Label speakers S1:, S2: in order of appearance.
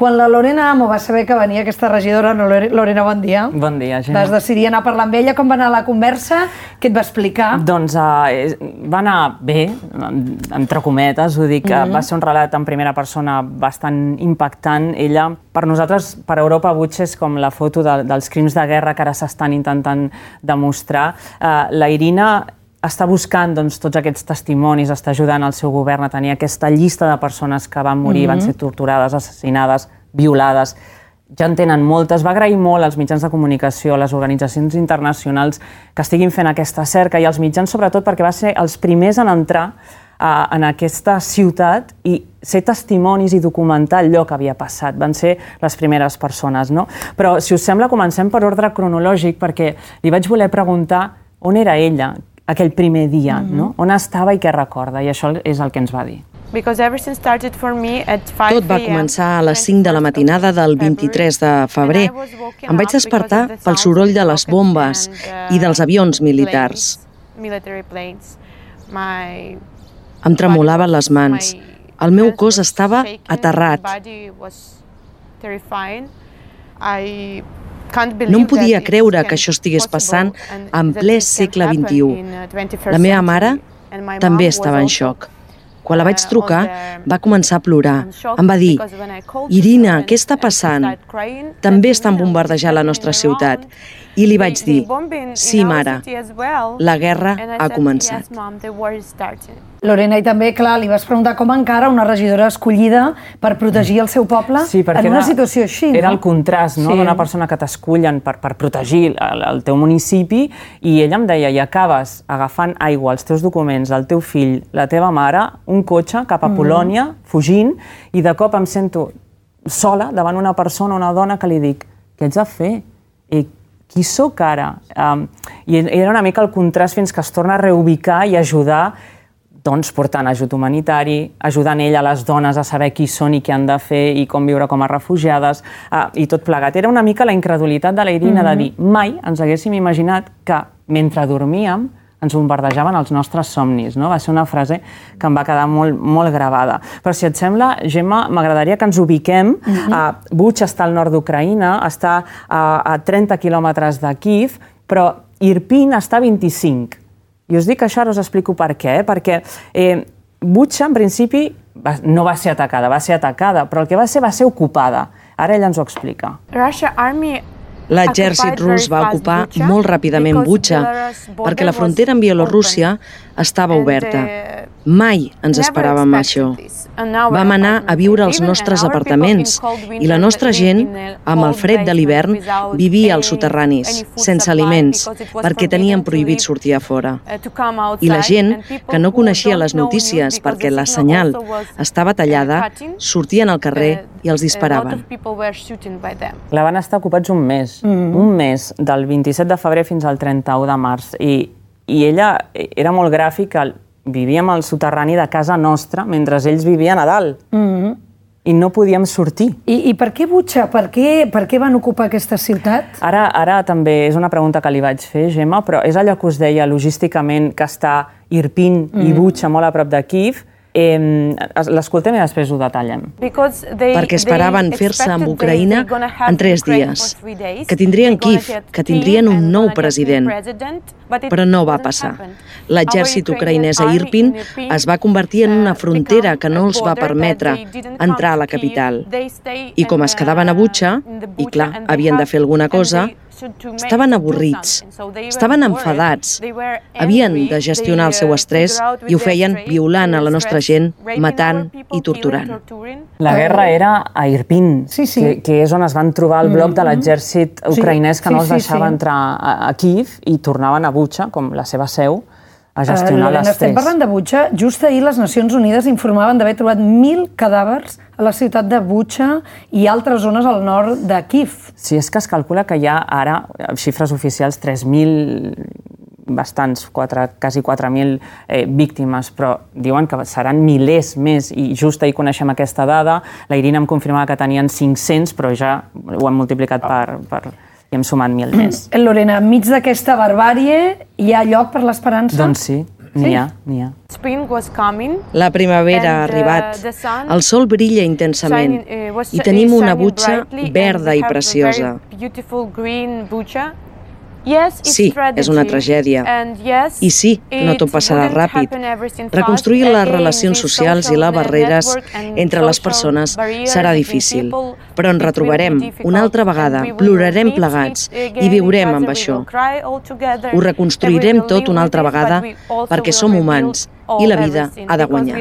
S1: Quan la Lorena Amo va saber que venia aquesta regidora, Lorena, bon dia.
S2: Bon dia, Gemma.
S1: Vas decidir anar a parlar amb ella. Com va anar la conversa? Què et va explicar?
S2: Doncs va anar bé, entre cometes, ho dic. Va ser un relat en primera persona bastant impactant. Ella, per nosaltres, per Europa, Butxa és com la foto dels crims de guerra que ara s'estan intentant demostrar. La Irina està buscant tots aquests testimonis, està ajudant el seu govern a tenir aquesta llista de persones que van morir, van ser torturades, assassinades, violades. Ja en tenen moltes. Va agrair molt als mitjans de comunicació, a les organitzacions internacionals que estiguin fent aquesta cerca i als mitjans sobretot perquè va ser els primers en entrar en aquesta ciutat i ser testimonis i documentar allò que havia passat. Van ser les primeres persones, no? Però, si us sembla, comencem per ordre cronològic perquè li vaig voler preguntar on era ella aquell primer dia, no? On estava i què recorda, i això és el que ens va dir.
S3: Tot va començar a les 5 de la matinada del 23 de febrer. Em vaig despertar pel soroll de les bombes i dels avions militars. Em tremolaven les mans. El meu cos estava aterrat. No em podia creure que això estigués passant en ple segle XXI. La meva mare també estava en xoc. Quan la vaig trucar, va començar a plorar. Em va dir: Irina, què està passant? També estan bombardejant la nostra ciutat. I li vaig dir: sí, mare, la guerra ha començat.
S1: Lorena, i també, clar, li vas preguntar com encara una regidora escollida per protegir el seu poble en una situació així, no?
S2: Era el contrast d'una persona que t'escullen per protegir el teu municipi, i ella em deia: i acabes agafant aigua, els teus documents, el teu fill, la teva mare, un cotxe cap a Polònia, fugint, i de cop em sento sola davant una persona, una dona, que li dic: què ets de fer? Qui sóc ara? I era una mica el contrast fins que es torna a reubicar i ajudar, doncs portant ajut humanitari, ajudant ella a les dones a saber qui són i què han de fer i com viure com a refugiades, i tot plegat. Era una mica la incredulitat de la Irina de dir: mai ens haguéssim imaginat que mentre dormíem ens bombardejaven els nostres somnis, no? Va ser una frase que em va quedar molt, molt gravada. Però si et sembla, Gemma, m'agradaria que ens ubiquem. Butxa està al nord d'Ucraïna, està a 30 quilòmetres de Kíev, però Irpin està a 25. I us dic això, ara us explico per què. Perquè Butxa, en principi, no va ser atacada, però el que va ser ocupada. Ara ella ens ho explica.
S3: L'exèrcit rus va ocupar molt ràpidament Butxa perquè la frontera amb Bielorússia estava oberta. Mai ens esperàvem això. Vam anar a viure als nostres apartaments i la nostra gent, amb el fred de l'hivern, vivia als soterranis, sense aliments, perquè tenien prohibit sortir a fora. I la gent, que no coneixia les notícies perquè la senyal estava tallada, sortien al carrer i els disparaven.
S2: La van estar ocupats un mes, del 27 de febrer fins al 31 de març. I ella era molt gràfica. Vivíem al soterrani de casa nostra mentre ells vivien a dalt. I no podíem sortir.
S1: I per què Butxa? Per què van ocupar aquesta ciutat?
S2: Ara també és una pregunta que li vaig fer, Gemma, però és allò que us deia, logísticament, que està Irpin i Butxa molt a prop de Kíev. L'escoltem i després ho detallem.
S3: Perquè esperaven fer-se amb Ucraïna en 3 dies, que tindrien Kíev, que tindrien un nou president, però no va passar. L'exèrcit ucraïnès a Irpin es va convertir en una frontera que no els va permetre entrar a la capital. I com es quedaven a Butxa, i clar, havien de fer alguna cosa, estaven avorrits, estaven enfadats, havien de gestionar el seu estrès i ho feien violant a la nostra gent, matant i torturant.
S2: La guerra era a Irpin, que és on es van trobar el bloc de l'exèrcit ucraïnès que no els deixava entrar a Kíev i tornaven a Butxa, com la seva seu, a gestionar l'estrès.
S1: Estem parlant de Butxa. Just ahir les Nacions Unides informaven d'haver trobat 1.000 cadàvers a la ciutat de Butxa i altres zones al nord de Kíev.
S2: Sí, és que es calcula que hi ha ara, xifres oficials, 3.000, bastants, quasi 4.000 víctimes, però diuen que seran milers més, i just ahir coneixem aquesta dada. La Irina em confirmava que tenien 500, però ja ho hem multiplicat per i hem sumat 1.000 més.
S1: Lorena, enmig d'aquesta barbàrie hi ha lloc per l'esperança?
S2: Doncs sí. N'hi ha.
S3: La primavera ha arribat, el sol brilla intensament i tenim una Butxa verda i preciosa. Sí, és una tragèdia. I sí, no tot passarà ràpid. Reconstruir les relacions socials i les barreres entre les persones serà difícil, però ens retrobarem una altra vegada, plorarem plegats i viurem amb això. Ho reconstruirem tot una altra vegada perquè som humans i la vida ha de guanyar.